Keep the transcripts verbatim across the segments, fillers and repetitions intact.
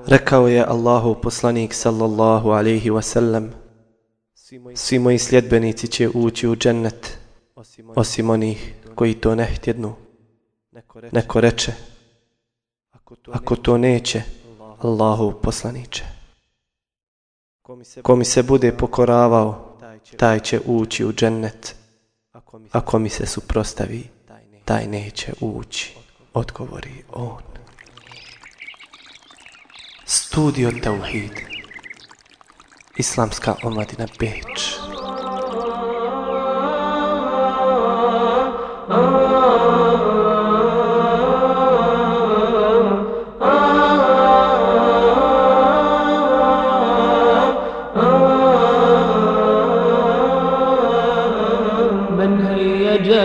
Rekao je Allahov poslanik sallallahu alejhi ve sellem: svi moji sljedbenici će ući u džennet, osim onih koji to ne htjednu. Neko reče: ako to neće, Allahov poslaniče. Ko mi se bude pokoravao, taj će ući u džennet. Ako mi se suprostavi, taj neće ući, odgovori on. Studio Tauhid, Islamska omladina Beč.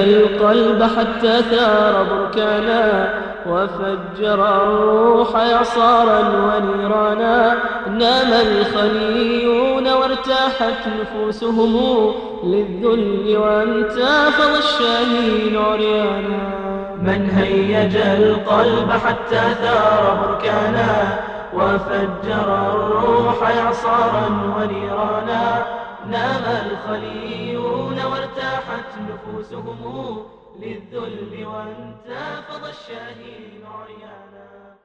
القلب حتى ثار بركانا وفجر الروح إعصارا ونيرانا نام الخليون وارتاحت نفوسهم للذل وانتفض الشاهين عريانا من هيج القلب حتى ثار بركانا وفجر الروح إعصارا ونيرانا نام الخليون وارتاحت نفوسهم للذل وانتفض الشاهين عريانا.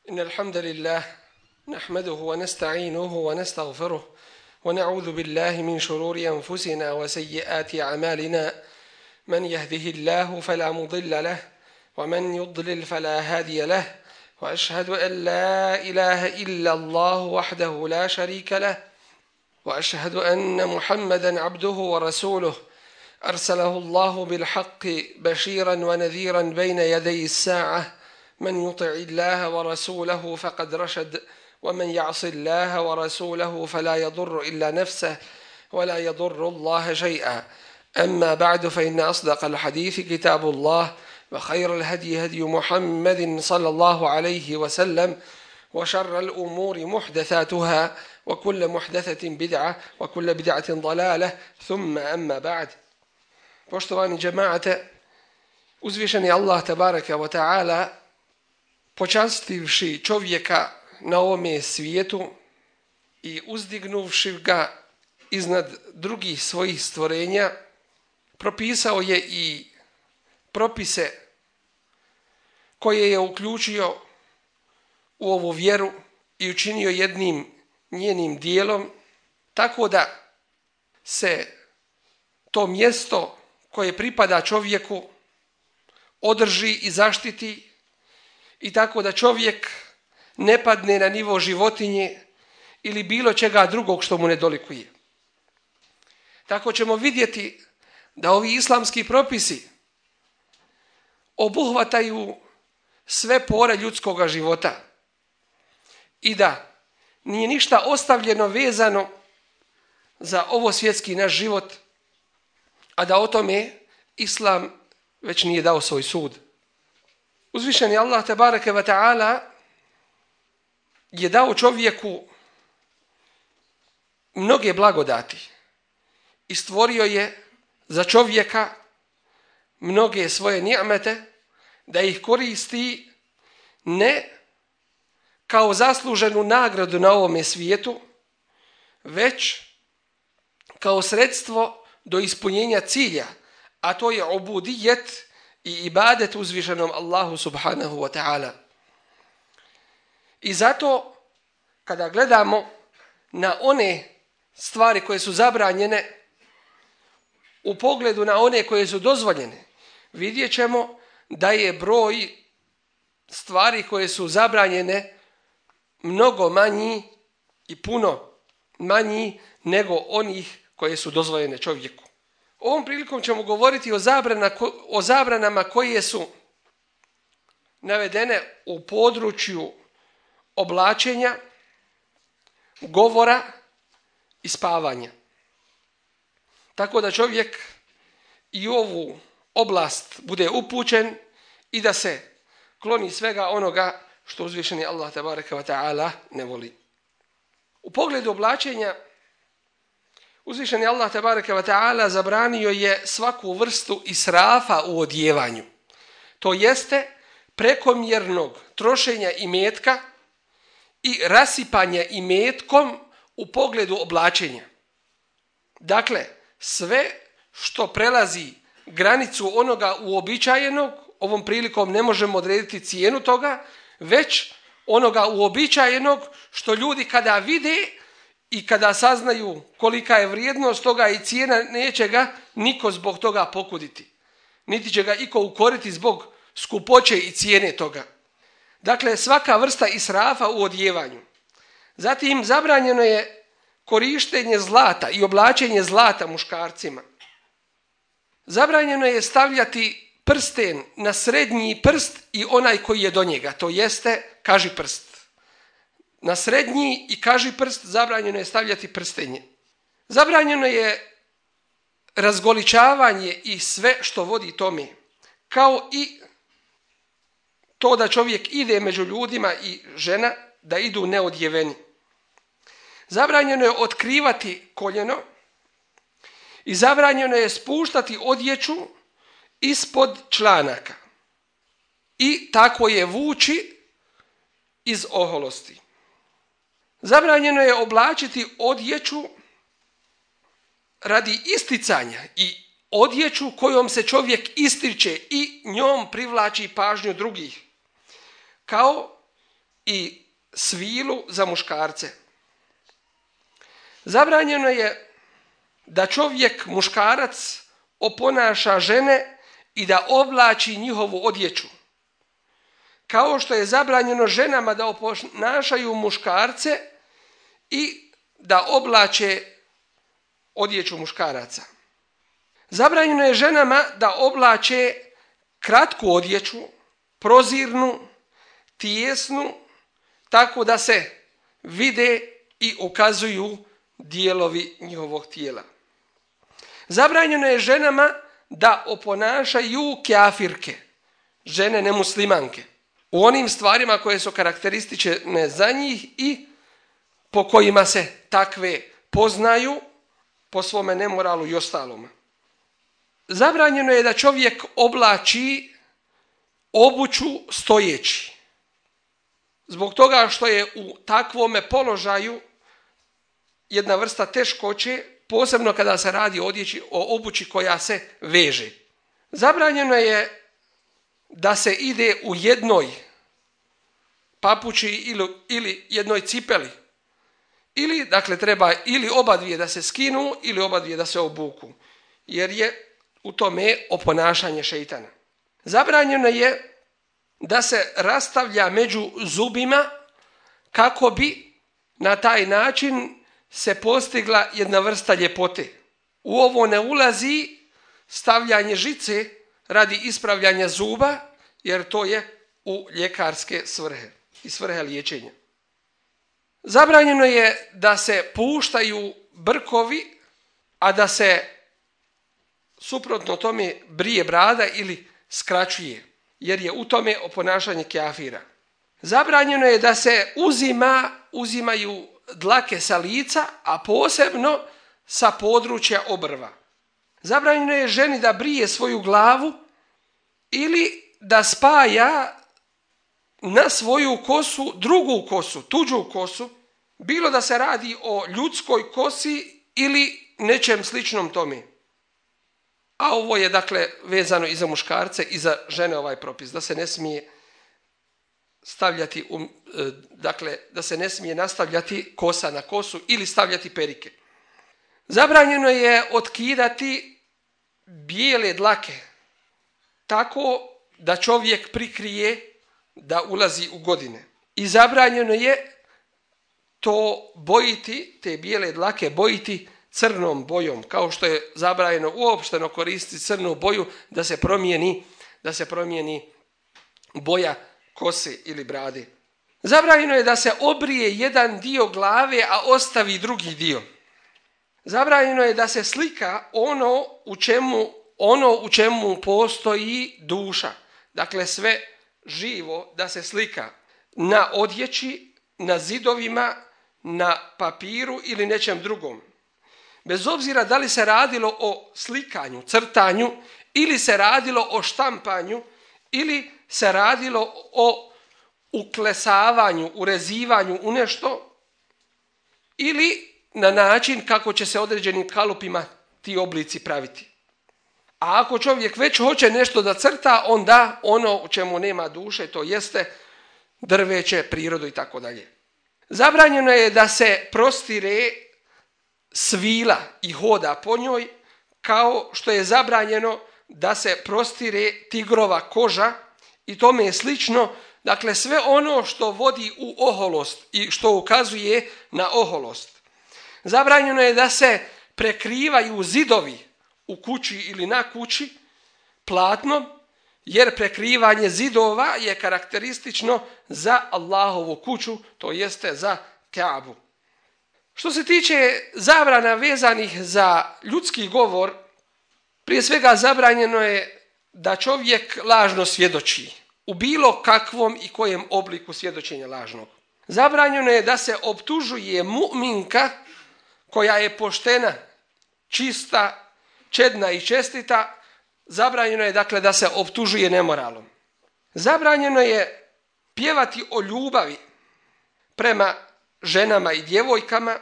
إن الحمد لله نحمده ونستعينه ونستغفره ونعوذ بالله من شرور أنفسنا وسيئات أعمالنا من يهده الله فلا مضل له ومن يضلل فلا هادي له وأشهد أن لا إله إلا الله وحده لا شريك له وأشهد أن محمدًا عبده ورسوله أرسله الله بالحق بشيرًا ونذيرًا بين يدي الساعة من يطع الله ورسوله فقد رشد ومن يعص الله ورسوله فلا يضر إلا نفسه ولا يضر الله شيئا. أما بعد فإن أصدق الحديث كتاب الله وخير الهدي هدي محمد صلى الله عليه وسلم وشر الأمور محدثاتها وكل محدثة بدعة وكل بدعة ضلالة ثم أما بعد. Poštovani džemaate, uzvišeni Allah tabaraka wa ta'ala, počastivši čovjeka na ovome svijetu i uzdignuvši ga iznad drugih svojih stvorenja, propisao je i propise koje je uključio u ovu vjeru i učinio jednim njenim dijelom, tako da se to mjesto koje pripada čovjeku održi i zaštiti i tako da čovjek ne padne na nivo životinje ili bilo čega drugog što mu ne dolikuje. Tako ćemo vidjeti da ovi islamski propisi obuhvataju sve pore ljudskog života i da nije ništa ostavljeno vezano za ovo svjetski naš život, a da o tome Islam već nije dao svoj sud. Uzvišeni Allah tebareke ve ta'ala je dao čovjeku mnoge blagodati i stvorio je za čovjeka mnoge svoje ni'mete da ih koristi ne kao zasluženu nagradu na ovome svijetu, već kao sredstvo do ispunjenja cilja, a to je ubudijet i ibadet uzvišenom Allahu subhanahu wa ta'ala. I zato kada gledamo na one stvari koje su zabranjene u pogledu na one koje su dozvoljene, vidjet ćemo da je broj stvari koje su zabranjene mnogo manji i puno manji nego onih koje su dozvoljene čovjeku. Ovom prilikom ćemo govoriti o, zabrana, o zabranama koje su navedene u području oblačenja, govora i spavanja. Tako da čovjek i u ovu oblast bude upućen i da se kloni svega onoga što uzvišeni Allah tabaraka wa ta'ala ne voli. U pogledu oblačenja, uzvišeni Allah tabaraka wa ta'ala zabranio je svaku vrstu israfa u odjevanju. To jeste prekomjernog trošenja imetka i rasipanja imetkom u pogledu oblačenja. Dakle, sve što prelazi granicu onoga uobičajenog, ovom prilikom ne možemo odrediti cijenu toga, već onoga uobičajenog što ljudi kada vide i kada saznaju kolika je vrijednost toga i cijena, neće ga niko zbog toga pokuditi. Niti će ga iko ukoriti zbog skupoće i cijene toga. Dakle, svaka vrsta israfa u odjevanju. Zatim, zabranjeno je korištenje zlata i oblačenje zlata muškarcima. Zabranjeno je stavljati prsten na srednji prst i onaj koji je do njega, to jeste kaži prst. Na srednji i kaži prst zabranjeno je stavljati prstenje. Zabranjeno je razgoličavanje i sve što vodi tome, kao i to da čovjek ide među ljudima i žena da idu neodjeveni. Zabranjeno je otkrivati koljeno i zabranjeno je spuštati odjeću ispod članaka i tako je vući iz oholosti. Zabranjeno je oblačiti odjeću radi isticanja i odjeću kojom se čovjek ističe i njom privlači pažnju drugih, kao i svilu za muškarce. Zabranjeno je da čovjek, muškarac, oponaša žene i da oblači njihovu odjeću. Kao što je zabranjeno ženama da oponašaju muškarce i da oblače odjeću muškaraca. Zabranjeno je ženama da oblače kratku odjeću, prozirnu, tijesnu, tako da se vide i ukazuju dijelovi njihovog tijela. Zabranjeno je ženama da oponašaju kafirke, žene nemuslimanke, u onim stvarima koje su karakteristične za njih i po kojima se takve poznaju po svome nemoralu i ostalome. Zabranjeno je da čovjek oblači obuću stojeći, zbog toga što je u takvome položaju jedna vrsta teškoće, posebno kada se radi o odjeći, o obući koja se veže. Zabranjeno je da se ide u jednoj papuči ili, ili jednoj cipeli. Ili, dakle, treba ili oba dvije da se skinu ili oba dvije da se obuku, jer je u tome oponašanje šeitana. Zabranjeno je da se rastavlja među zubima kako bi na taj način se postigla jedna vrsta ljepote. U ovo ne ulazi stavljanje žice radi ispravljanja zuba, jer to je u ljekarske svrhe i svrhe liječenja. Zabranjeno je da se puštaju brkovi, a da se suprotno tome brije brada ili skraćuje, jer je u tome oponašanje kafira. Zabranjeno je da se uzima, uzimaju dlake sa lica, a posebno sa područja obrva. Zabranjeno je ženi da brije svoju glavu ili da spaja na svoju kosu drugu kosu, tuđu kosu, bilo da se radi o ljudskoj kosi ili nečem sličnom tome. A ovo je, dakle, vezano i za muškarce i za žene ovaj propis, da se ne smije stavljati, um, dakle, da se ne smije nastavljati kosa na kosu ili stavljati perike. Zabranjeno je otkidati bijele dlake tako da čovjek prikrije da ulazi u godine. I zabranjeno je to bojiti, te bijele dlake bojiti crnom bojom, kao što je zabranjeno uopšteno koristiti crnu boju da se promijeni, da se promijeni boja kose ili brade. Zabranjeno je da se obrije jedan dio glave, a ostavi drugi dio. Zabranjeno je da se slika ono u čemu, ono u čemu postoji duša. Dakle, sve živo da se slika na odjeći, na zidovima, na papiru ili nečem drugom. Bez obzira da li se radilo o slikanju, crtanju, ili se radilo o štampanju, ili se radilo o uklesavanju, urezivanju u nešto ili na način kako će se određenim kalupima ti oblici praviti. A ako čovjek već hoće nešto da crta, onda ono u čemu nema duše, to jeste drveće, prirodu i tako dalje. Zabranjeno je da se prostire svila i hoda po njoj, kao što je zabranjeno da se prostire tigrova koža i tome je slično. Dakle, sve ono što vodi u oholost i što ukazuje na oholost. Zabranjeno je da se prekrivaju zidovi u kući ili na kući platnom, jer prekrivanje zidova je karakteristično za Allahovu kuću, to jeste za Kaabu. Što se tiče zabrana vezanih za ljudski govor, prije svega zabranjeno je da čovjek lažno svjedoči u bilo kakvom i kojem obliku svjedočenja lažnog. Zabranjeno je da se optužuje mu'minka koja je poštena, čista, čedna i čestita. Zabranjeno je dakle da se optužuje nemoralom. Zabranjeno je pjevati o ljubavi prema ženama i djevojkama,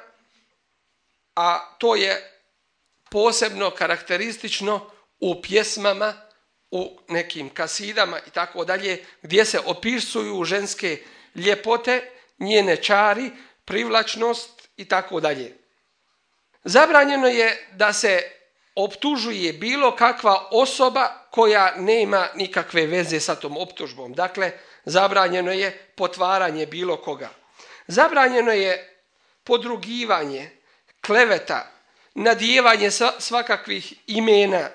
a to je posebno karakteristično u pjesmama, u nekim kasidama i tako dalje, gdje se opisuju ženske ljepote, njene čari, privlačnost i tako dalje. Zabranjeno je da se optužuje bilo kakva osoba koja nema nikakve veze sa tom optužbom. Dakle, zabranjeno je potvaranje bilo koga. Zabranjeno je podrugivanje, kleveta, nadijevanje svakakvih imena,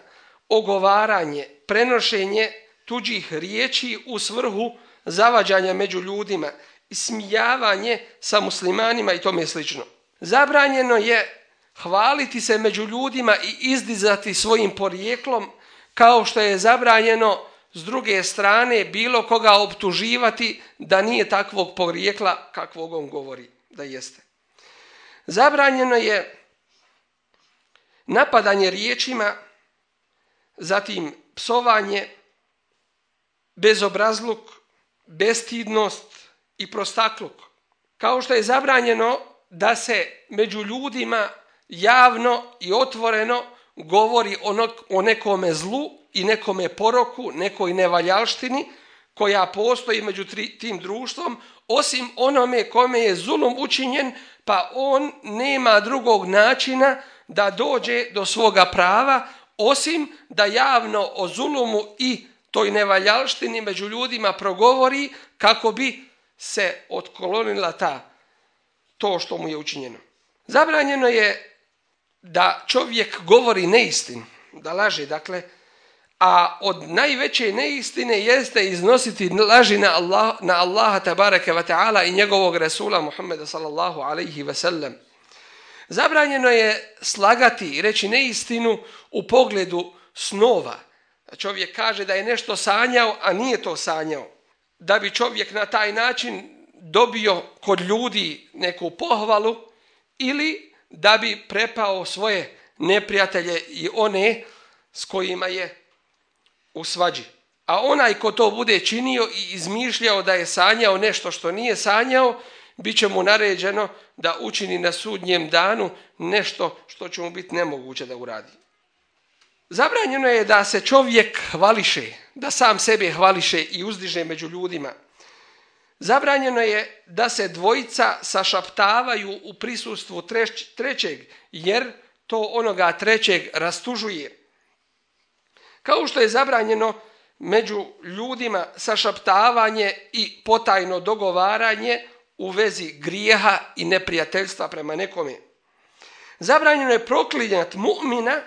ogovaranje, prenošenje tuđih riječi u svrhu zavađanja među ljudima, ismijavanje sa muslimanima i tome slično. Zabranjeno je hvaliti se među ljudima i izdizati svojim porijeklom, kao što je zabranjeno s druge strane bilo koga optuživati da nije takvog porijekla kakvog on govori da jeste. Zabranjeno je napadanje riječima, zatim psovanje, bezobrazluk, bestidnost i prostakluk. Kao što je zabranjeno da se među ljudima javno i otvoreno govori o nekome zlu i nekome poroku, nekoj nevaljalštini koja postoji među tim društvom, osim onome kome je zulum učinjen, pa on nema drugog načina da dođe do svoga prava, osim da javno o zulumu i toj nevaljalštini među ljudima progovori kako bi se otklonila ta, to što mu je učinjeno. Zabranjeno je da čovjek govori neistinu, da laže, dakle, a od najveće neistine jeste iznositi laži na, Allah, na Allaha tabaraka wa ta'ala i njegovog Resula Muhammeda sallallahu alaihi wa sallam. Zabranjeno je slagati i reći neistinu u pogledu snova. Čovjek kaže da je nešto sanjao, a nije to sanjao. Da bi čovjek na taj način dobio kod ljudi neku pohvalu ili da bi prepao svoje neprijatelje i one s kojima je u svađi. A onaj ko to bude činio i izmišljao da je sanjao nešto što nije sanjao, bit će mu naređeno da učini na sudnjem danu nešto što će mu biti nemoguće da uradi. Zabranjeno je da se čovjek hvališe, da sam sebe hvališe i uzdiže među ljudima. Zabranjeno je da se dvojica sašaptavaju u prisustvu trećeg, jer to onoga trećeg rastužuje. Kao što je zabranjeno među ljudima sašaptavanje i potajno dogovaranje u vezi grijeha i neprijateljstva prema nekome. Zabranjeno je proklinjati mu'mina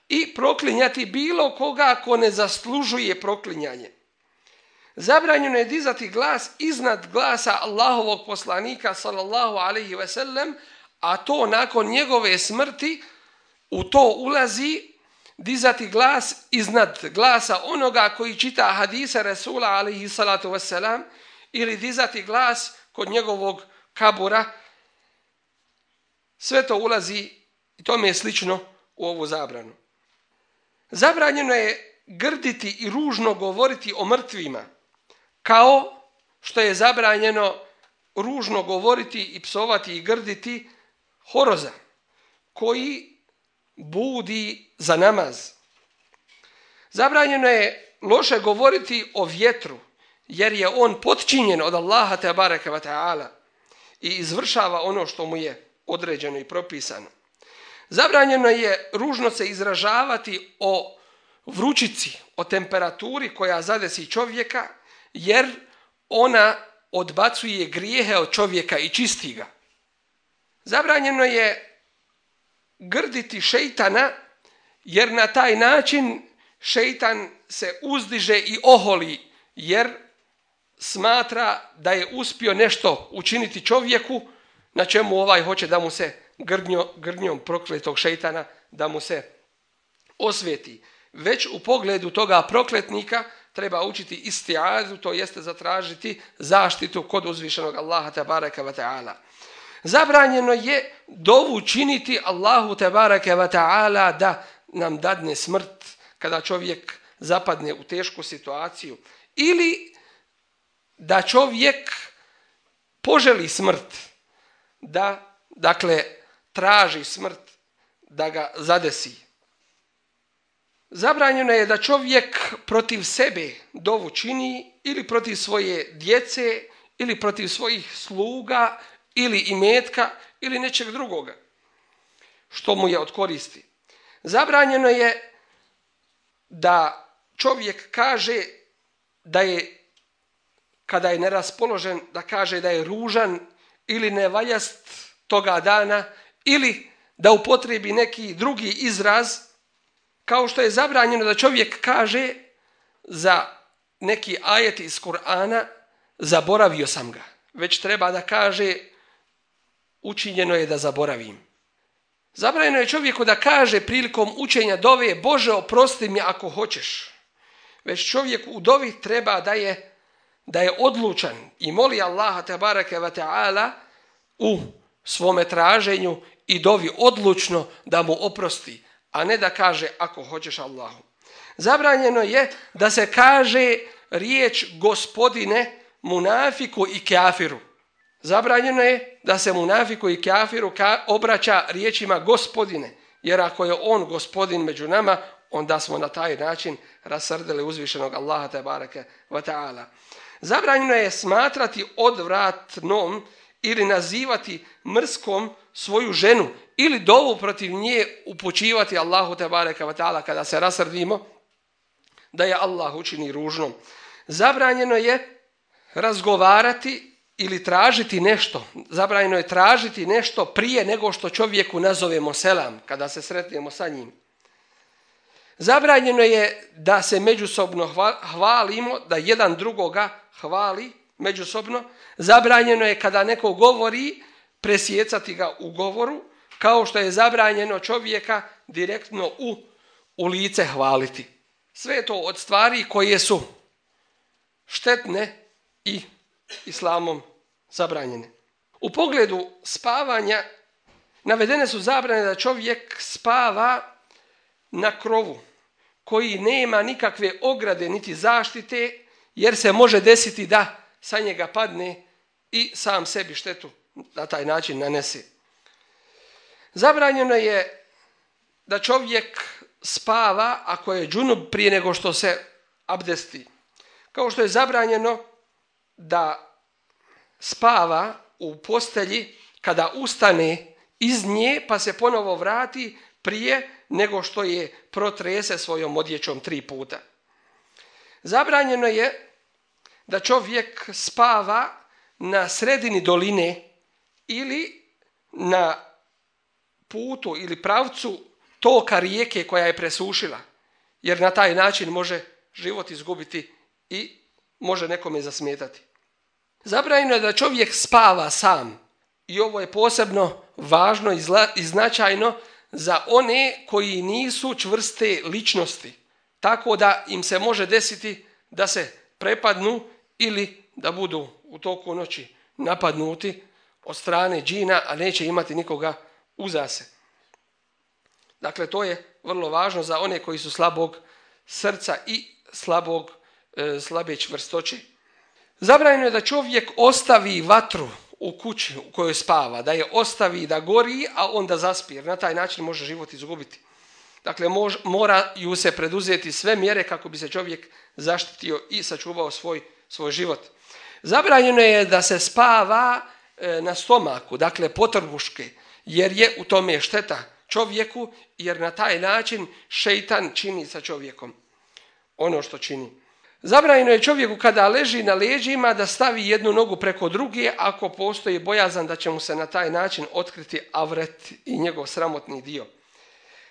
i proklinjati bilo koga ko ne zaslužuje proklinjanje. Zabranjeno je dizati glas iznad glasa Allahovog poslanika sallallahu alaihi ve sellem, a to nakon njegove smrti u to ulazi dizati glas iznad glasa onoga koji čita hadise Resula alaihi salatu wassalam, ili dizati glas kod njegovog kabura. Sve to ulazi i tome je slično u ovu zabranu. Zabranjeno je grditi i ružno govoriti o mrtvima, kao što je zabranjeno ružno govoriti i psovati i grditi horoza koji budi za namaz. Zabranjeno je loše govoriti o vjetru, jer je on potčinjen od Allaha tebareke ve taala i izvršava ono što mu je određeno i propisano. Zabranjeno je ružno se izražavati o vrućici, o temperaturi koja zadesi čovjeka, jer ona odbacuje grijehe od čovjeka i čisti ga. Zabranjeno je grditi šejtana, jer na taj način šejtan se uzdiže i oholi, jer smatra da je uspio nešto učiniti čovjeku, na čemu ovaj hoće da mu se grdnjo, grdnjom prokletog šejtana da mu se osveti. Već u pogledu toga prokletnika treba učiti istiazu, to jeste zatražiti zaštitu kod uzvišenog Allaha tebareke ve taala. Zabranjeno je dovu činiti Allahu tebareke ve taala da nam dadne smrt kada čovjek zapadne u tešku situaciju, ili da čovjek poželi smrt, da dakle traži smrt da ga zadesi. Zabranjeno je da čovjek protiv sebe dovu čini, ili protiv svoje djece, ili protiv svojih sluga, ili imetka, ili nečeg drugoga što mu je od koristi. Zabranjeno je da čovjek kaže da je, kada je neraspoložen, da kaže da je ružan ili nevaljast toga dana, ili da upotrebi neki drugi izraz, kao što je zabranjeno da čovjek kaže za neki ajet iz Kur'ana zaboravio sam ga, već treba da kaže učinjeno je da zaboravim. Zabranjeno je čovjeku da kaže prilikom učenja dove Bože oprosti mi ako hoćeš, već čovjek u dovi treba da je, da je odlučan i moli Allaha tebareke ve taala u svome traženju i dovi odlučno da mu oprosti, a ne da kaže ako hoćeš Allahu. Zabranjeno je da se kaže riječ gospodine munafiku i kafiru. Zabranjeno je da se munafiku i kafiru ka obraća riječima gospodine, jer ako je on gospodin među nama, onda smo na taj način rasrdili uzvišenog Allaha tebareke ve taala. Zabranjeno je smatrati odvratnom ili nazivati mrskom svoju ženu, ili dovu protiv nje upućivati Allahu tebareke ve taala kada se rasrdimo da je Allah učini ružnom. Zabranjeno je razgovarati ili tražiti nešto. Zabranjeno je tražiti nešto prije nego što čovjeku nazovemo selam, kada se sretnemo sa njim. Zabranjeno je da se međusobno hvalimo, da jedan drugoga hvali međusobno. Zabranjeno je kada neko govori presjecati ga u govoru, kao što je zabranjeno čovjeka direktno u, u lice hvaliti. Sve je to od stvari koje su štetne i islamom zabranjene. U pogledu spavanja navedene su zabrane da čovjek spava na krovu koji nema nikakve ograde niti zaštite, jer se može desiti da sa njega padne i sam sebi štetu na taj način nanese. Zabranjeno je da čovjek spava ako je džunub prije nego što se abdesti. Kao što je zabranjeno da spava u postelji kada ustane iz nje pa se ponovo vrati prije nego što je protrese svojom odjećom tri puta. Zabranjeno je da čovjek spava na sredini doline ili na putu ili pravcu toka rijeke koja je presušila, jer na taj način može život izgubiti i može nekome zasmetati. Zabranjeno je da čovjek spava sam, i ovo je posebno važno i, zla, i značajno za one koji nisu čvrste ličnosti, tako da im se može desiti da se prepadnu ili da budu u toku noći napadnuti od strane džina, a neće imati nikoga uza se. Dakle, to je vrlo važno za one koji su slabog srca i slabog, e, slabe čvrstoće. Zabranjeno je da čovjek ostavi vatru u kući u kojoj spava, da je ostavi da gori, a onda zaspi, jer na taj način može život izgubiti. Dakle, mož, moraju se preduzeti sve mjere kako bi se čovjek zaštitio i sačuvao svoj, svoj život. Zabranjeno je da se spava e, na stomaku, dakle potrbuške, jer je u tome šteta čovjeku, jer na taj način šejtan čini sa čovjekom ono što čini. Zabranjeno je čovjeku kada leži na leđima da stavi jednu nogu preko druge ako postoji bojazan da će mu se na taj način otkriti avret i njegov sramotni dio.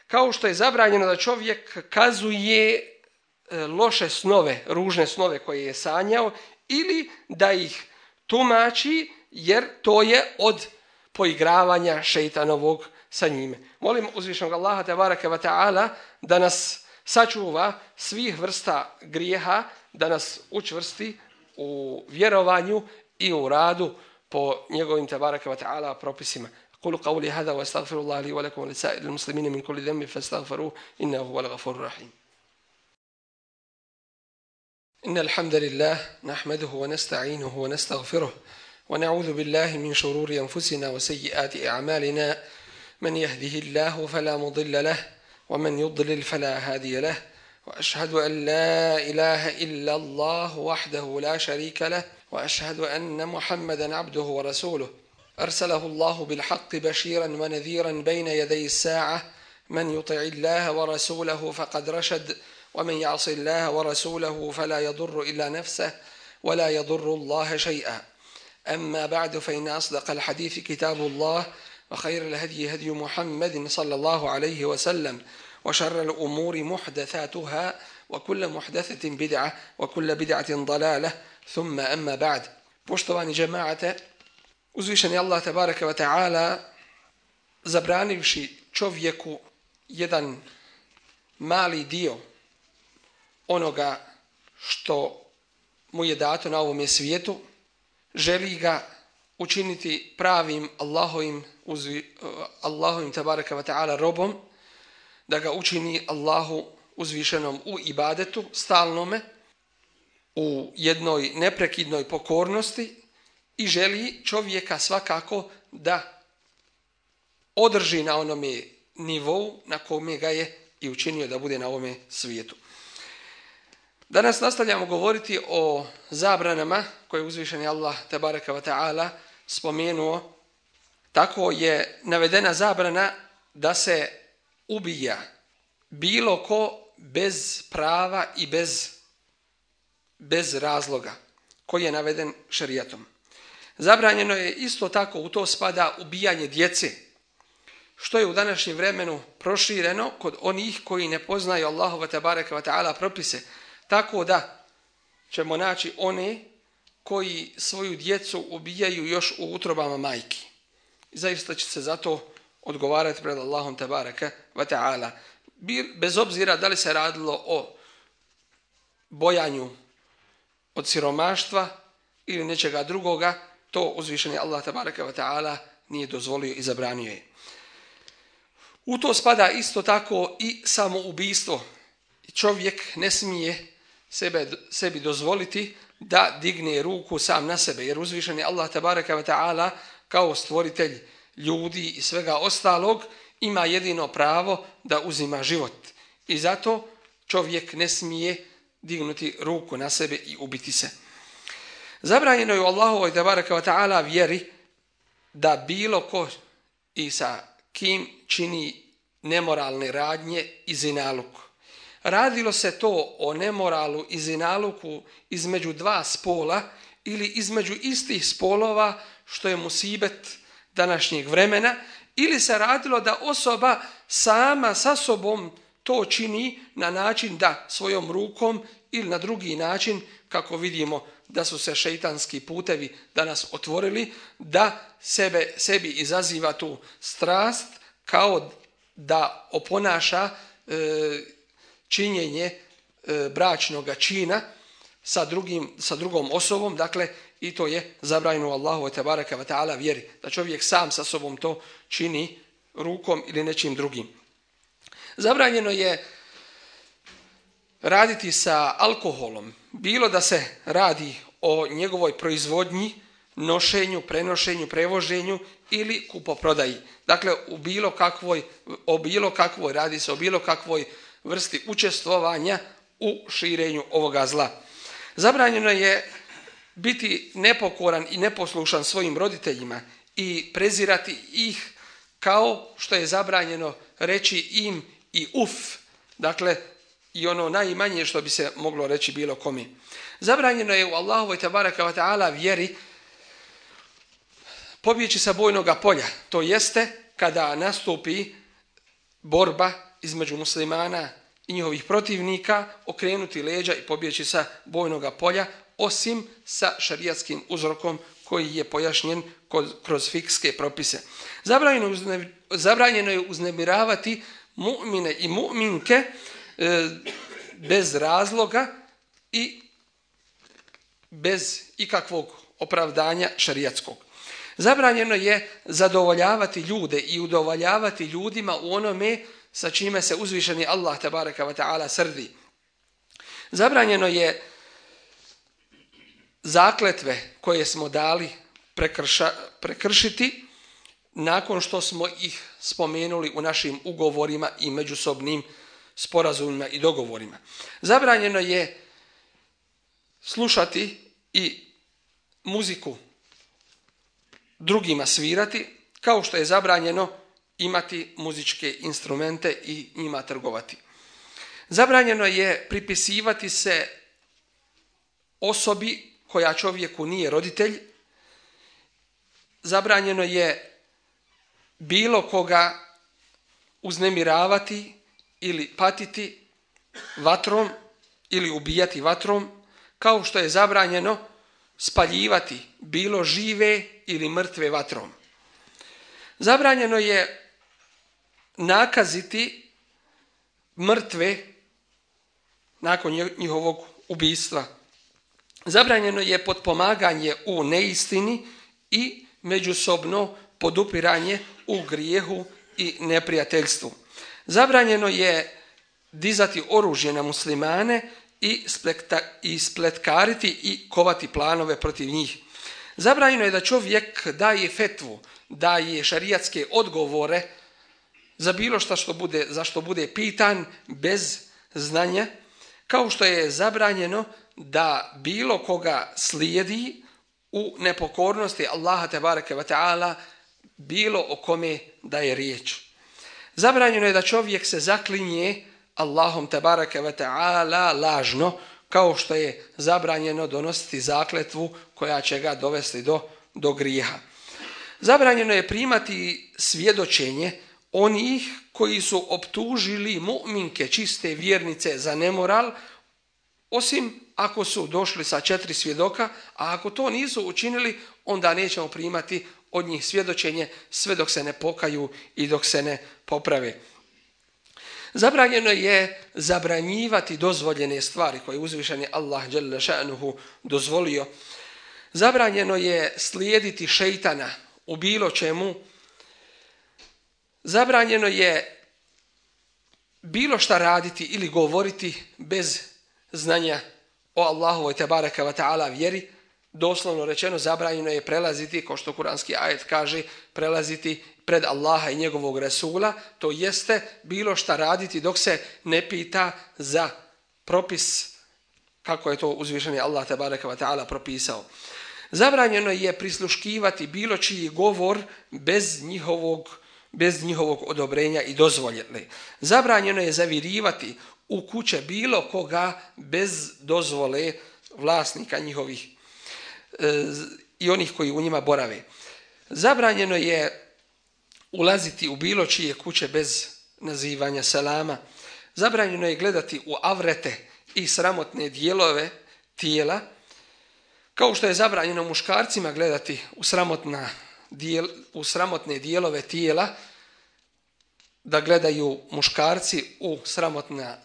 Kao što je zabranjeno da čovjek kazuje loše snove, ružne snove koje je sanjao ili da ih tumači, jer to je od poigravanja šejtanovog sa njime. Molim uzvišenog Allaha tebareke ve taala da nas sačuva svih vrsta grijeha, da nas učvrsti u vjerovanju i u radu po njegovim tebareke ve taala propisima. قولوا قولي هذا واستغفر الله لي ولكم ولسائر المسلمين من كل ذنب فاستغفروه إنه هو الغفور الرحيم. إن الحمد لله نحمده ونستعينه ونستغفره ونعوذ بالله من شرور أنفسنا وسيئات أعمالنا من يهده الله فلا مضل له ومن يضلل فلا هادي له وأشهد أن لا إله إلا الله وحده لا شريك له وأشهد أن محمدا عبده ورسوله أرسله الله بالحق بشيرا ونذيرا بين يدي الساعة من يطع الله ورسوله فقد رشد ومن يعص الله ورسوله فلا يضر إلا نفسه ولا يضر الله شيئا. أما بعد فإن أصدق الحديث كتاب الله وخير الهدي هدي محمد صلى الله عليه وسلم وشر الأمور محدثاتها وكل محدثة بدعة وكل بدعة ضلالة ثم أما بعد. Poštovani džemaate, uzvišeni Allah tebareke ve taala zabranivši čovjeku jedan mali dio onoga što mu je dato na ovome svijetu, želi ga učiniti pravim Allahovim, uzvi, Allahovim tebareke ve taala robom, da ga učini Allahu uzvišenom u ibadetu, stalnome, u jednoj neprekidnoj pokornosti i želi čovjeka svakako da održi na onome nivou na kome ga je i učinio da bude na ovome svijetu. Danas nastavljamo govoriti o zabranama koje uzvišeni Allah tebareke ve taala spomenuo. Tako je navedena zabrana da se ubija bilo ko bez prava i bez, bez razloga koji je naveden šerijatom. Zabranjeno je isto tako, u to spada ubijanje djece, što je u današnjem vremenu prošireno kod onih koji ne poznaju Allahove tebareke ve taala propise, tako da ćemo naći one koji svoju djecu ubijaju još u utrobama majki. I zaista će se zato odgovarati pred Allahom tebareke ve taala. Bez obzira da li se radilo o bojanju od siromaštva ili nečega drugoga, to uzvišeni Allah tebareke ve taala nije dozvolio i zabranio je. U to spada isto tako i samoubistvo. Čovjek ne smije sebe, sebi dozvoliti da digne ruku sam na sebe, jer uzvišeni Allah tebareke ve taala kao stvoritelj ljudi i svega ostalog ima jedino pravo da uzima život. I zato čovjek ne smije dignuti ruku na sebe i ubiti se. Zabranjeno je u Allahovoj tebareke ve taala vjeri da bilo ko i sa kim čini nemoralne radnje i zinaluk. Radilo se to o nemoralu i zinaluku između dva spola ili između istih spolova, što je musibet današnjeg vremena, ili se radilo da osoba sama sa sobom to čini na način da svojom rukom ili na drugi način, kako vidimo da su se šejtanski putevi danas otvorili, da sebe, sebi izaziva tu strast kao da oponaša e, činjenje e, bračnog čina sa, drugim, sa drugom osobom, dakle i to je zabranjeno Allahu tebareke ve taala vjeri, da čovjek sam sa sobom to čini rukom ili nečim drugim. Zabranjeno je raditi sa alkoholom, bilo da se radi o njegovoj proizvodnji, nošenju, prenošenju, prevoženju ili kupoprodaji. Dakle, u bilo kakvoj, o bilo kakvoj, radi se o bilo kakvoj vrsti učestvovanja u širenju ovoga zla. Zabranjeno je biti nepokoran i neposlušan svojim roditeljima i prezirati ih kao što je zabranjeno reći im i uf, dakle i ono najmanje što bi se moglo reći bilo kome. Zabranjeno je u Allahovoj tebareke ve taala vjeri pobjeći sa bojnoga polja, to jeste kada nastupi borba između muslimana i njihovih protivnika, okrenuti leđa i pobjeći sa bojnoga polja, osim sa šarijatskim uzrokom koji je pojašnjen kroz fikske propise. Zabranjeno, zabranjeno je uznemiravati mu'mine i mu'minke e, bez razloga i bez ikakvog opravdanja šarijatskog. Zabranjeno je zadovoljavati ljude i udovoljavati ljudima u onome sa čime se uzvišeni Allah tebareka ve taala srdi. Zabranjeno je zakletve koje smo dali prekrša, prekršiti nakon što smo ih spomenuli u našim ugovorima i međusobnim sporazumima i dogovorima. Zabranjeno je slušati i muziku drugima svirati, kao što je zabranjeno imati muzičke instrumente i njima trgovati. Zabranjeno je pripisivati se osobi koja čovjeku nije roditelj. Zabranjeno je bilo koga uznemiravati ili patiti vatrom ili ubijati vatrom, kao što je zabranjeno spaljivati bilo žive ili mrtve vatrom. Zabranjeno je nakaziti mrtve nakon njihovog ubijstva. Zabranjeno je potpomaganje u neistini i međusobno podupiranje u grijehu i neprijateljstvu. Zabranjeno je dizati oružje na muslimane i, splekta, i spletkariti i kovati planove protiv njih. Zabranjeno je da čovjek daje fetvu, daje šarijatske odgovore za bilo šta što bude, za što bude pitan bez znanja, kao što je zabranjeno da bilo koga slijedi u nepokornosti Allaha tebareke ve taala, bilo o kome da je riječ. Zabranjeno je da čovjek se zaklinje Allahom tebareke ve taala lažno, kao što je zabranjeno donositi zakletvu koja će ga dovesti do, do grijeha. Zabranjeno je primati svjedočenje onih koji su optužili mu'minke, čiste vjernice, za nemoral, osim ako su došli sa četiri svjedoka, a ako to nisu učinili, onda nećemo primati od njih svjedočenje sve dok se ne pokaju i dok se ne poprave. Zabranjeno je zabranjivati dozvoljene stvari koje je uzvišeni Allah dželle šanuhu dozvolio. Zabranjeno je slijediti šejtana u bilo čemu. Zabranjeno je bilo šta raditi ili govoriti bez znanja o Allahovoj tebareke ve taala vjeri. Doslovno rečeno, zabranjeno je prelaziti, kao što kuranski ajet kaže, prelaziti pred Allaha i njegovog Resula, to jeste bilo šta raditi dok se ne pita za propis kako je to uzvišeni Allah tebareke ve taala propisao. Zabranjeno je prisluškivati bilo čiji govor bez njihovog, bez njihovog odobrenja i dozvoljene. Zabranjeno je zavirivati u kuće bilo koga bez dozvole vlasnika njihovih e, i onih koji u njima borave. Zabranjeno je ulaziti u bilo čije kuće bez nazivanja selama. Zabranjeno je gledati u avrete i sramotne dijelove tijela, kao što je zabranjeno muškarcima gledati u, sramotna dijel, u sramotne dijelove tijela, da gledaju muškarci u, sramotna,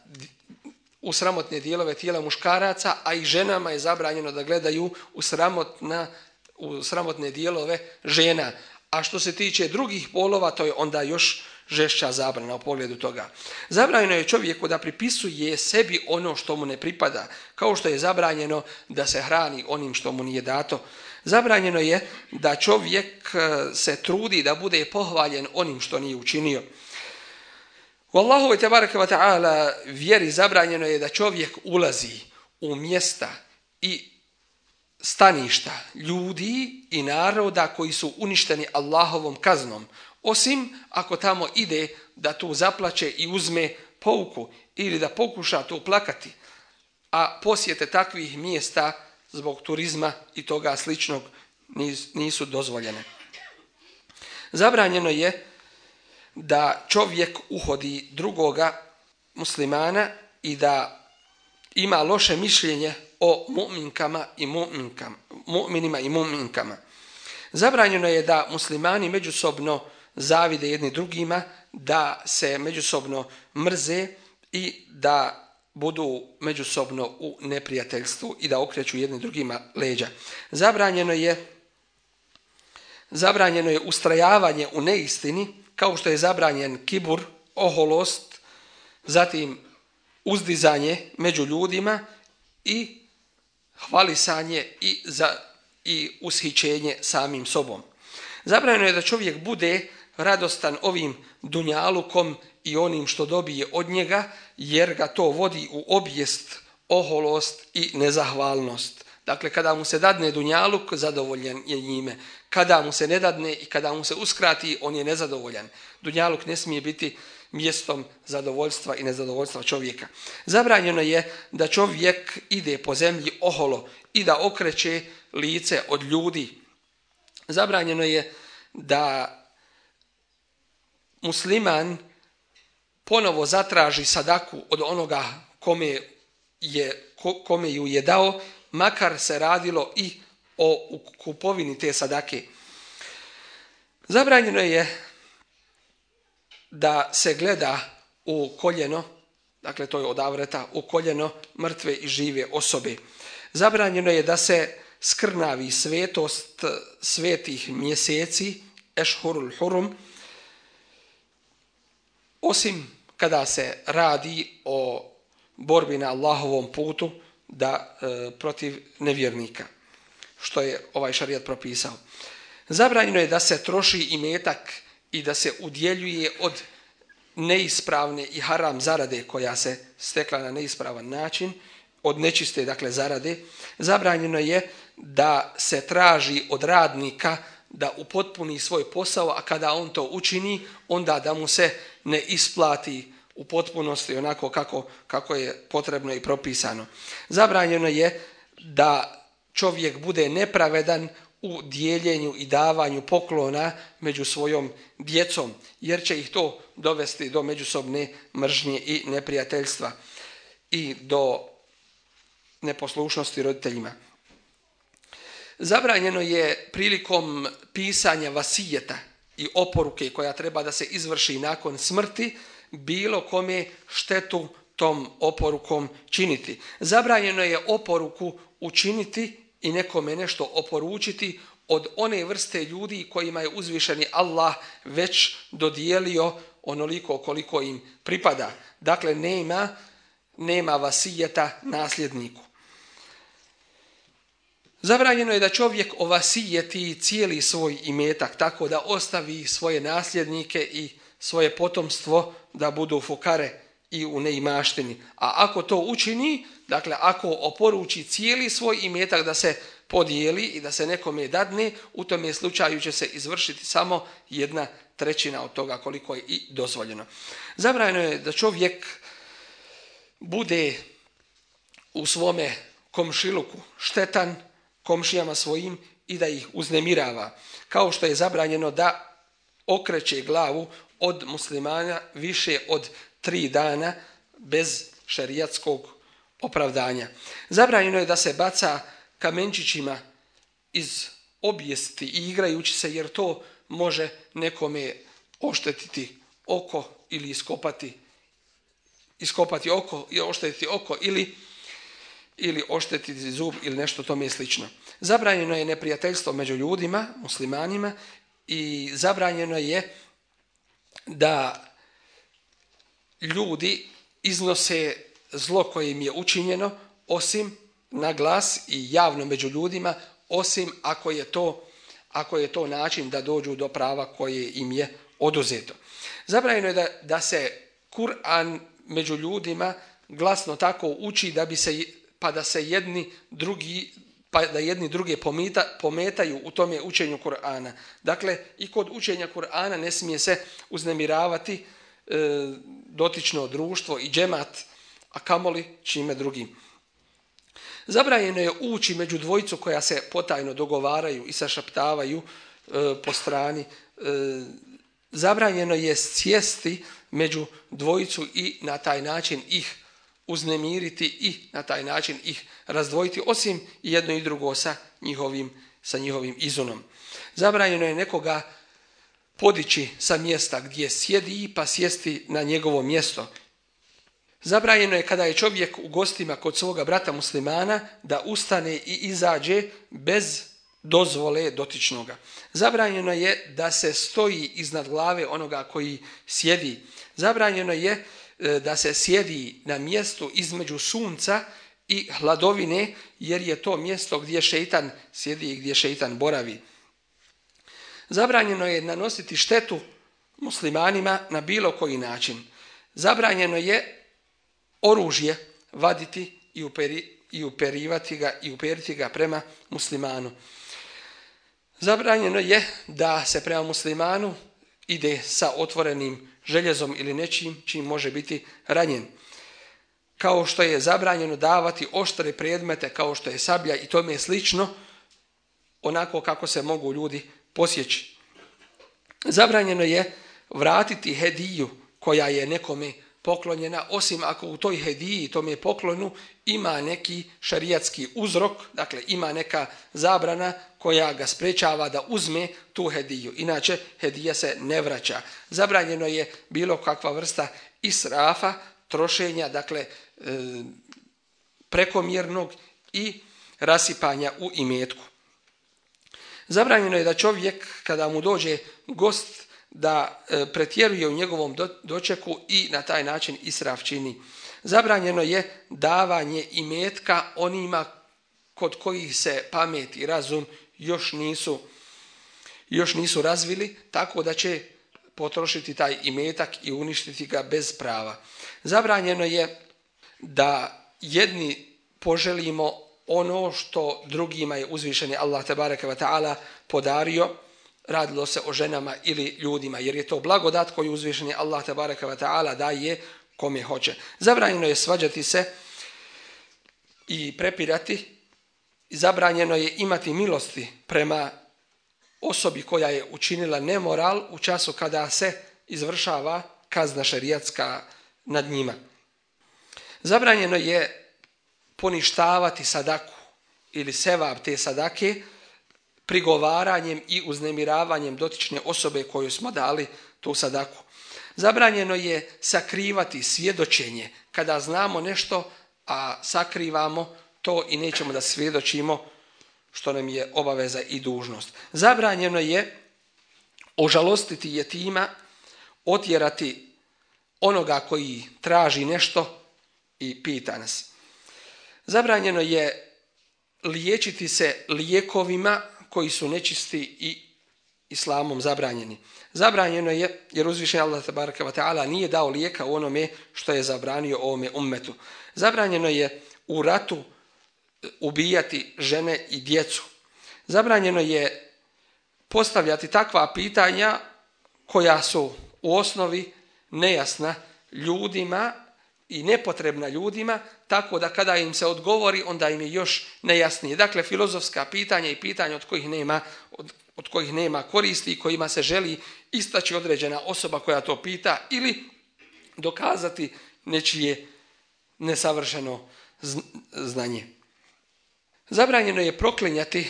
u sramotne dijelove tijela muškaraca, a i ženama je zabranjeno da gledaju u, sramotna, u sramotne dijelove žena. A što se tiče drugih polova, to je onda još, žešća zabrana u pogledu toga. Zabranjeno je čovjeku da pripisuje sebi ono što mu ne pripada, kao što je zabranjeno da se hrani onim što mu nije dato. Zabranjeno je da čovjek se trudi da bude pohvaljen onim što nije učinio. U Allahovoj tebareke ve ta'ala vjeri zabranjeno je da čovjek ulazi u mjesta i staništa ljudi i naroda koji su uništeni Allahovom kaznom, osim ako tamo ide da tu zaplače i uzme pouku ili da pokuša tu plakati, a posjete takvih mjesta zbog turizma i toga sličnog nisu dozvoljene. Zabranjeno je da čovjek uhodi drugoga muslimana i da ima loše mišljenje o mu'minkama i mu'minkama, mu'minima i mu'minkama. Zabranjeno je da muslimani međusobno zavide jedni drugima, da se međusobno mrze i da budu međusobno u neprijateljstvu i da okreću jedni drugima leđa. Zabranjeno je, zabranjeno je ustrajavanje u neistini, kao što je zabranjen kibur, oholost, zatim uzdizanje među ljudima i hvalisanje i, za, i ushićenje samim sobom. Zabranjeno je da čovjek bude radostan ovim dunjalukom i onim što dobije od njega, jer ga to vodi u obijest, oholost i nezahvalnost. Dakle, kada mu se dadne dunjaluk, zadovoljan je njime. Kada mu se ne dadne i kada mu se uskrati, on je nezadovoljan. Dunjaluk ne smije biti mjestom zadovoljstva i nezadovoljstva čovjeka. Zabranjeno je da čovjek ide po zemlji oholo i da okreće lice od ljudi. Zabranjeno je da musliman ponovo zatraži sadaku od onoga kome, je, kome ju je dao, makar se radilo i o kupovini te sadake. Zabranjeno je da se gleda u koljeno, dakle to je od avreta, u koljeno mrtve i žive osobe. Zabranjeno je da se skrnavi svetost svetih mjeseci, ešhurul hurum, osim kada se radi o borbi na Allahovom putu da e, protiv nevjernika, što je ovaj šarijat propisao. Zabranjeno je da se troši imetak i da se udjeljuje od neispravne i haram zarade koja se stekla na neispravan način, od nečiste, dakle, zarade. Zabranjeno je da se traži od radnika da upotpuni svoj posao, a kada on to učini, onda da mu se ne isplati u potpunosti onako kako, kako je potrebno i propisano. Zabranjeno je da čovjek bude nepravedan u dijeljenju i davanju poklona među svojom djecom, jer će ih to dovesti do međusobne mržnje i neprijateljstva i do neposlušnosti roditeljima. Zabranjeno je prilikom pisanja vasijeta i oporuke koja treba da se izvrši nakon smrti bilo kome štetu tom oporukom činiti. Zabranjeno je oporuku učiniti i nekome nešto oporučiti od one vrste ljudi kojima je uzvišeni Allah već dodijelio onoliko koliko im pripada. Dakle, nema, nema vasijeta nasljedniku. Zabranjeno je da čovjek ovasijeti cijeli svoj imetak tako da ostavi svoje nasljednike i svoje potomstvo da budu fukare i u neimaštini. A ako to učini, dakle ako oporuči cijeli svoj imetak da se podijeli i da se nekome dadne, u tome slučaju će se izvršiti samo jedna trećina od toga koliko je i dozvoljeno. Zabranjeno je da čovjek bude u svome komšiluku štetan komšijama svojim i da ih uznemirava, kao što je zabranjeno da okreće glavu od muslimana više od tri dana bez šerijatskog opravdanja. Zabranjeno je da se baca kamenčićima iz obijesti i igrajući se, jer to može nekome oštetiti oko ili iskopati, iskopati oko i oštetiti oko ili ili oštetiti zub ili nešto tome slično. Zabranjeno je neprijateljstvo među ljudima, muslimanima, i zabranjeno je da ljudi iznose zlo koje im je učinjeno, osim na glas i javno među ljudima, osim ako je to, ako je to način da dođu do prava koje im je oduzeto. Zabranjeno je da, da se Kur'an među ljudima glasno tako uči da bi se, pa da se jedni drugi, pa da jedni druge pometa, pometaju u tome učenju Kur'ana. Dakle, i kod učenja Kur'ana ne smije se uznemiravati e, dotično društvo i džemat, a kamoli čime drugim. Zabranjeno je ući među dvojicu koja se potajno dogovaraju i sašaptavaju e, po strani. E, zabranjeno je sjesti među dvojicu i na taj način ih uznemiriti i na taj način ih razdvojiti, osim jedno i drugo sa njihovim, sa njihovim izunom. Zabranjeno je nekoga podići sa mjesta gdje sjedi pa sjesti na njegovo mjesto. Zabranjeno je kada je čovjek u gostima kod svoga brata muslimana da ustane i izađe bez dozvole dotičnoga. Zabranjeno je da se stoji iznad glave onoga koji sjedi. Zabranjeno je da se sjedi na mjestu između sunca i hladovine, jer je to mjesto gdje šeitan sjedi i gdje šeitan boravi. Zabranjeno je nanositi štetu muslimanima na bilo koji način. Zabranjeno je oružje vaditi i, uperi, i uperivati ga i uperiti ga prema muslimanu. Zabranjeno je da se prema muslimanu ide sa otvorenim željezom ili nečim čim može biti ranjen. Kao što je zabranjeno davati oštre predmete kao što je sablja i tome slično, onako kako se mogu ljudi posjeći. Zabranjeno je vratiti hediju koja je nekome poklonjena, osim ako u toj hediji, tome poklonu, ima neki šarijatski uzrok, dakle ima neka zabrana koja ga sprečava da uzme tu hediju. Inače, hedija se ne vraća. Zabranjeno je bilo kakva vrsta israfa, trošenja, dakle e, prekomjernog i rasipanja u imetku. Zabranjeno je da čovjek, kada mu dođe gost, da e, pretjeruje u njegovom do, dočeku i na taj način israf čini. Zabranjeno je davanje imetka onima kod kojih se pamet i razum još nisu, još nisu razvili, tako da će potrošiti taj imetak i uništiti ga bez prava. Zabranjeno je da jedni poželimo ono što drugima je uzvišeni Allah tebareke ve taala podario, radilo se o ženama ili ljudima, jer je to blagodat koju uzvišeni Allah tebareke ve taala daje kome hoće. Zabranjeno je svađati se i prepirati. Zabranjeno je imati milosti prema osobi koja je učinila nemoral u času kada se izvršava kazna šerijatska nad njima. Zabranjeno je poništavati sadaku ili sevab te sadake prigovaranjem i uznemiravanjem dotične osobe koju smo dali tu sadaku. Zabranjeno je sakrivati svjedočenje kada znamo nešto, a sakrivamo to i nećemo da svjedočimo, što nam je obaveza i dužnost. Zabranjeno je ožalostiti jetima, otjerati onoga koji traži nešto i pita nas. Zabranjeno je liječiti se lijekovima koji su nečisti i islamom zabranjeni. Zabranjeno je, jer uzvišeni Allah tebareke ve taala nije dao lijeka u onome što je zabranio ovome ummetu. Zabranjeno je u ratu ubijati žene i djecu. Zabranjeno je postavljati takva pitanja koja su u osnovi nejasna ljudima i nepotrebna ljudima, tako da kada im se odgovori, onda im je još nejasnije. Dakle, filozofska pitanja i pitanja od kojih nema, od, od kojih nema koristi i kojima se želi istaći određena osoba koja to pita ili dokazati nečije nesavršeno znanje. Zabranjeno je proklinjati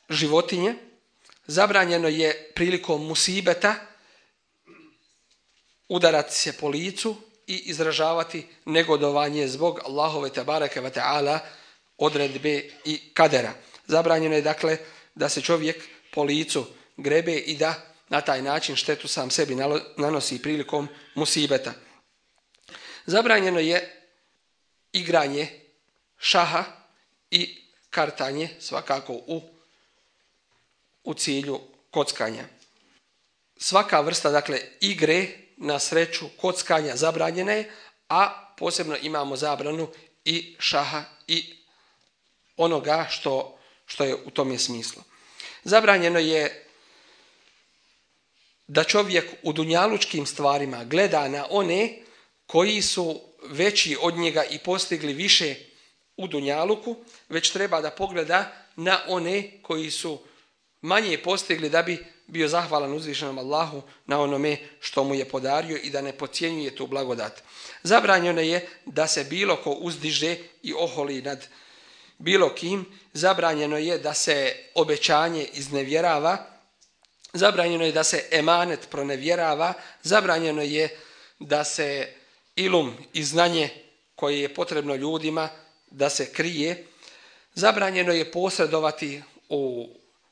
životinje, zabranjeno je prilikom musibeta udarati se po licu i izražavati negodovanje zbog Allahove tebareke ve taala odredbe i kadera. Zabranjeno je dakle da se čovjek po licu grebe i da na taj način štetu sam sebi nanosi prilikom musibeta. Zabranjeno je igranje šaha i kartanje svakako u, u cilju kockanja. Svaka vrsta dakle igre na sreću kockanja zabranjena je, a posebno imamo zabranu i šaha i onoga što, što je u tome smislu. Zabranjeno je da čovjek u dunjalučkim stvarima gleda na one koji su veći od njega i postigli više u dunjaluku, već treba da pogleda na one koji su manje postigli da bi bio zahvalan uzvišenom Allahu na onome što mu je podario i da ne podcjenjuje tu blagodat. Zabranjeno je da se bilo ko uzdiže i oholi nad bilo kim, zabranjeno je da se obećanje iznevjerava, zabranjeno je da se emanet pronevjerava, zabranjeno je da se ilum i znanje koje je potrebno ljudima da se krije, zabranjeno je posredovati u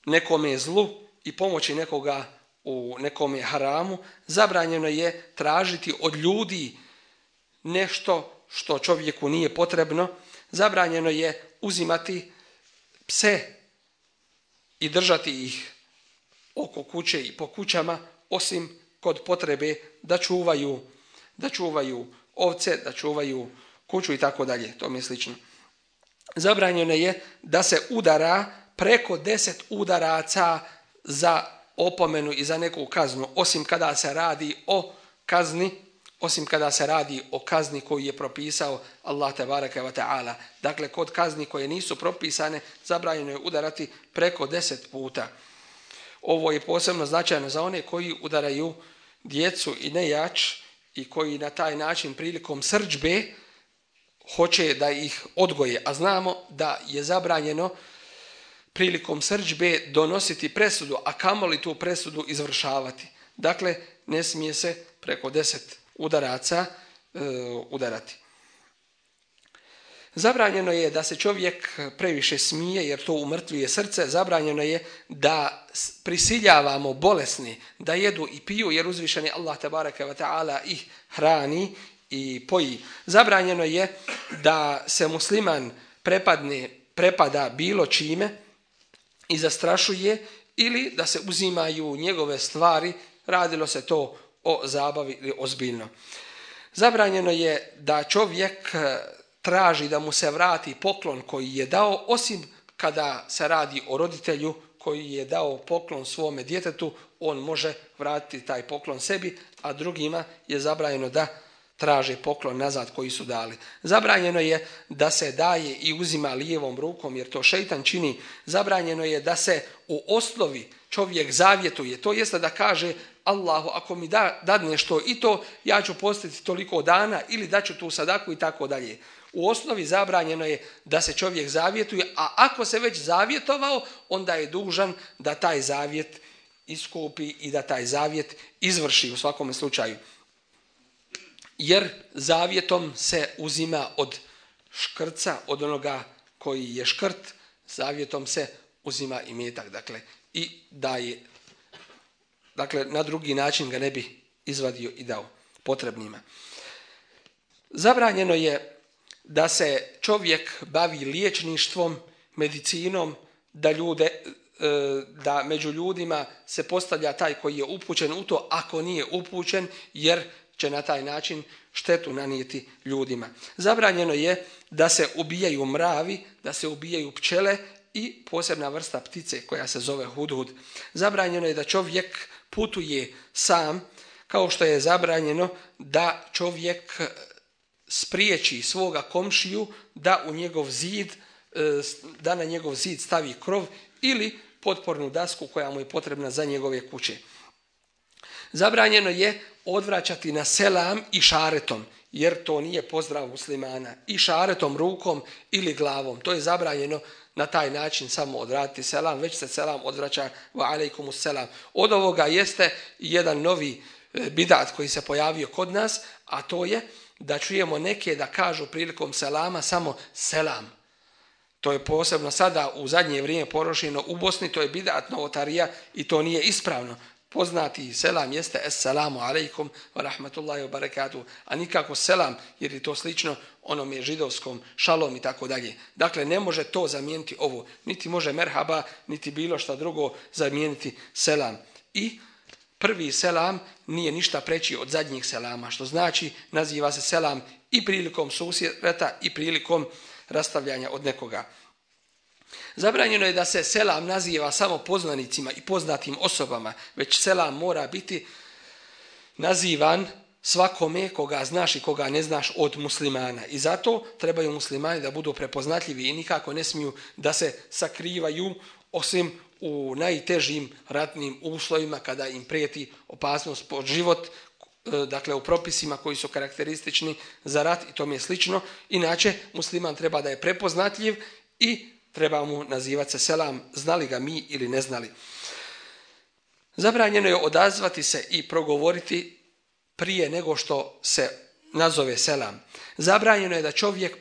nekome zlu i pomoći nekoga u nekome haramu, zabranjeno je tražiti od ljudi nešto što čovjeku nije potrebno, zabranjeno je uzimati pse i držati ih oko kuće i po kućama, osim kod potrebe da čuvaju, da čuvaju ovce, da čuvaju kuću i tako dalje, to mi je slično. Zabranjeno je da se udara preko deset udaraca za opomenu i za neku kaznu, osim kada se radi o kazni, osim kada se radi o kazni koju je propisao Allah tebareke ve taala. Dakle, kod kazni koje nisu propisane, zabranjeno je udarati preko deset puta. Ovo je posebno značajno za one koji udaraju djecu i nejač i koji na taj način prilikom srdžbe hoće da ih odgoje. A znamo da je zabranjeno prilikom srdžbe donositi presudu, a kamoli tu presudu izvršavati. Dakle, ne smije se preko deset udaraca e, udarati. Zabranjeno je da se čovjek previše smije jer to umrtvuje srce. Zabranjeno je da prisiljavamo bolesni da jedu i piju jer uzvišeni Allah tebareke ve taala ih hrani i poji. Zabranjeno je da se musliman prepadne, prepada bilo čime i zastrašuje ili da se uzimaju njegove stvari, radilo se to o zabavi ili ozbiljno. Zabranjeno je da čovjek traži da mu se vrati poklon koji je dao, osim kada se radi o roditelju koji je dao poklon svome djetetu, on može vratiti taj poklon sebi, a drugima je zabranjeno da traže poklon nazad koji su dali. Zabranjeno je da se daje i uzima lijevom rukom jer to šejtan čini. Zabranjeno je da se u osnovi čovjek zavjetuje, to jeste da kaže Allahu ako mi da, dadne što i to, ja ću postiti toliko dana ili daću tu sadaku i tako dalje. U osnovi zabranjeno je da se čovjek zavjetuje, a ako se već zavjetovao, onda je dužan da taj zavjet iskupi i da taj zavjet izvrši u svakom slučaju. Jer zavjetom se uzima od škrca, od onoga koji je škrt, zavjetom se uzima imetak, dakle, i daje, dakle, na drugi način ga ne bi izvadio i dao potrebnima. Zabranjeno je da se čovjek bavi liječništvom, medicinom, da ljude, da među ljudima se postavlja taj koji je upućen u to, ako nije upućen, jer će na taj način štetu nanijeti ljudima. Zabranjeno je da se ubijaju mravi, da se ubijaju pčele i posebna vrsta ptice koja se zove hudhud. Zabranjeno je da čovjek putuje sam, kao što je zabranjeno da čovjek spriječi svoga komšiju da u njegov zid, da na njegov zid stavi krov ili potpornu dasku koja mu je potrebna za njegove kuće. Zabranjeno je odvraćati na selam i šaretom, jer to nije pozdrav muslimana. I šaretom, rukom ili glavom. To je zabranjeno na taj način samo odraditi selam, već se selam odvraća wa alejkumus selam. Od ovoga jeste jedan novi bidat koji se pojavio kod nas, a to je da čujemo neke da kažu prilikom selama samo selam. To je posebno sada u zadnje vrijeme porošeno u Bosni, to je bidat novotarija i to nije ispravno. poznati selam jeste Esselamu alaikum wa rahmatullahi wa barakatuh, a nikako selam, jer je to slično onome židovskom šalom i tako dalje. Dakle, ne može to zamijeniti ovo. Niti može merhaba, niti bilo šta drugo zamijeniti selam. I prvi selam nije ništa preći od zadnjih selama, što znači naziva se selam i prilikom susreta i prilikom rastavljanja od nekoga. Zabranjeno je da se selam naziva samo poznanicima i poznatim osobama, već selam mora biti nazivan svakome koga znaš i koga ne znaš od muslimana. I zato trebaju muslimani da budu prepoznatljivi i nikako ne smiju da se sakrivaju, osim u najtežim ratnim uslovima kada im prijeti opasnost po život, dakle u propisima koji su karakteristični za rat i tome je slično. Inače, musliman treba da je prepoznatljiv i treba mu nazivati se selam, znali ga mi ili ne znali. Zabranjeno je odazvati se i progovoriti prije nego što se nazove selam. Zabranjeno je da čovjek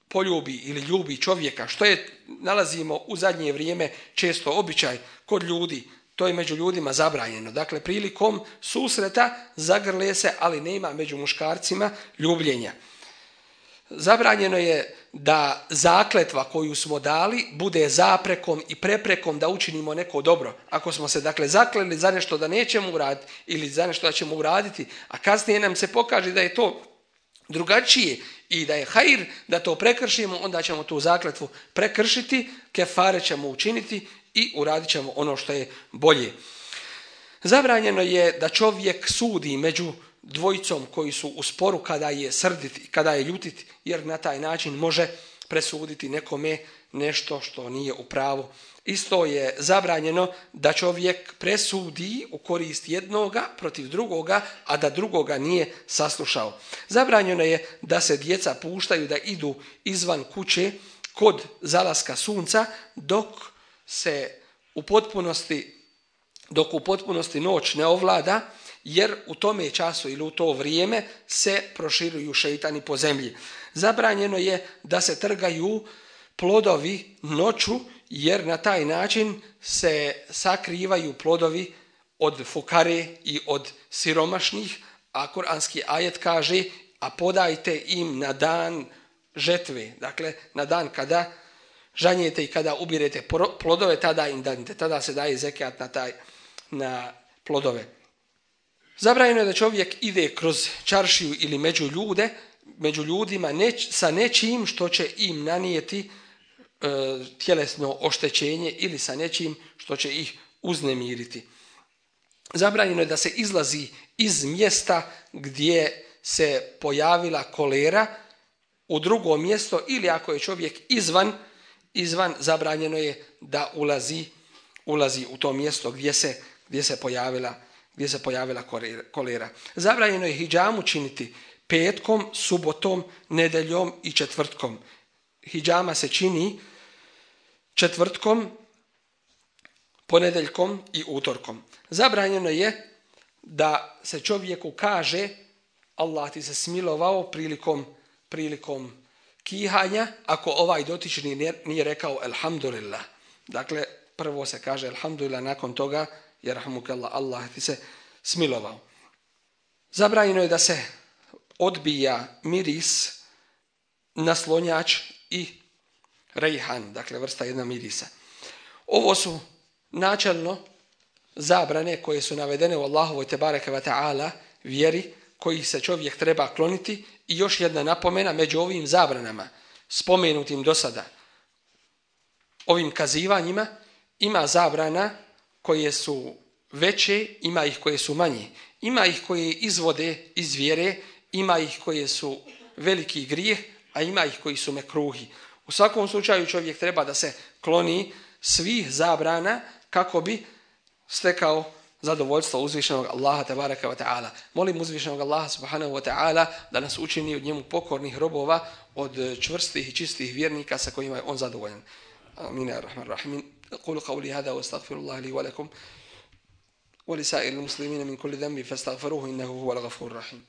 poljubi ili ljubi čovjeka, što je, nalazimo u zadnje vrijeme često običaj kod ljudi, to je među ljudima zabranjeno. Dakle, prilikom susreta zagrle se, ali nema među muškarcima ljubljenja. Zabranjeno je da zakletva koju smo dali bude zaprekom i preprekom da učinimo neko dobro. Ako smo se dakle zakleli za nešto da nećemo uraditi ili za nešto da ćemo uraditi, a kasnije nam se pokaže da je to drugačije i da je hajr da to prekršimo, onda ćemo tu zakletvu prekršiti, kefare ćemo učiniti i uradit ćemo ono što je bolje. Zabranjeno je da čovjek sudi među dvojicom koji su u sporu kada je srdit i kada je ljutit, jer na taj način može presuditi nekome nešto što nije u pravu. Isto je zabranjeno da čovjek presudi u korist jednoga protiv drugoga, a da drugoga nije saslušao. Zabranjeno je da se djeca puštaju da idu izvan kuće kod zalaska sunca dok se u potpunosti dok u potpunosti noć ne ovlada, jer u tome času ili u to vrijeme se proširuju šeitani po zemlji. Zabranjeno je da se trgaju plodovi noću, jer na taj način se sakrivaju plodovi od fukare i od siromašnih, a kuranski ajet kaže: a podajte im na dan žetve, dakle na dan kada žanjete i kada ubirete plodove, tada im danite, tada se daje zekat na taj na plodove. Zabranjeno je da čovjek ide kroz čaršiju ili među ljude, među ljudima neć, sa nečim što će im nanijeti e, tjelesno oštećenje ili sa nečim što će ih uznemiriti. Zabranjeno je da se izlazi iz mjesta gdje se pojavila kolera u drugo mjesto, ili ako je čovjek izvan, izvan zabranjeno je da ulazi, ulazi u to mjesto gdje se, gdje se pojavila gdje se pojavila kolera. Zabranjeno je hidžamu činiti petkom, subotom, nedeljom i četvrtkom. Hidžama se čini četvrtkom, ponedeljkom i utorkom. Zabranjeno je da se čovjeku kaže Allah ti se smilovao prilikom, prilikom kihanja, ako ovaj dotični nije rekao elhamdulillah. Dakle, prvo se kaže elhamdulillah, nakon toga jerhamukallah, Allah ti se smilovao. Zabranjeno je da se odbija miris, naslonjač i rejhan, dakle vrsta jedna mirisa. Ovo su načelno zabrane koje su navedene u Allahovoj tebareke ve ta'ala vjeri, koji se čovjek treba kloniti. I još jedna napomena, među ovim zabranama spomenutim do sada, ovim kazivanjima, ima zabrana koje su veće, ima ih koje su manje. Ima ih koje izvode iz vjere, ima ih koje su veliki grijeh, a ima ih koji su mekruhi. U svakom slučaju čovjek treba da se kloni svih zabrana kako bi stekao zadovoljstvo uzvišenog Allaha tebareka ve ta'ala. Molim uzvišenog Allaha subhanahu wa ta'ala da nas učini od njemu pokornih robova, od čvrstih i čistih vjernika sa kojima je on zadovoljan. Amin ya rahman rahim. أقول قولي هذا واستغفر الله لي ولكم ولسائر المسلمين من كل ذنب فاستغفروه إنه هو الغفور الرحيم.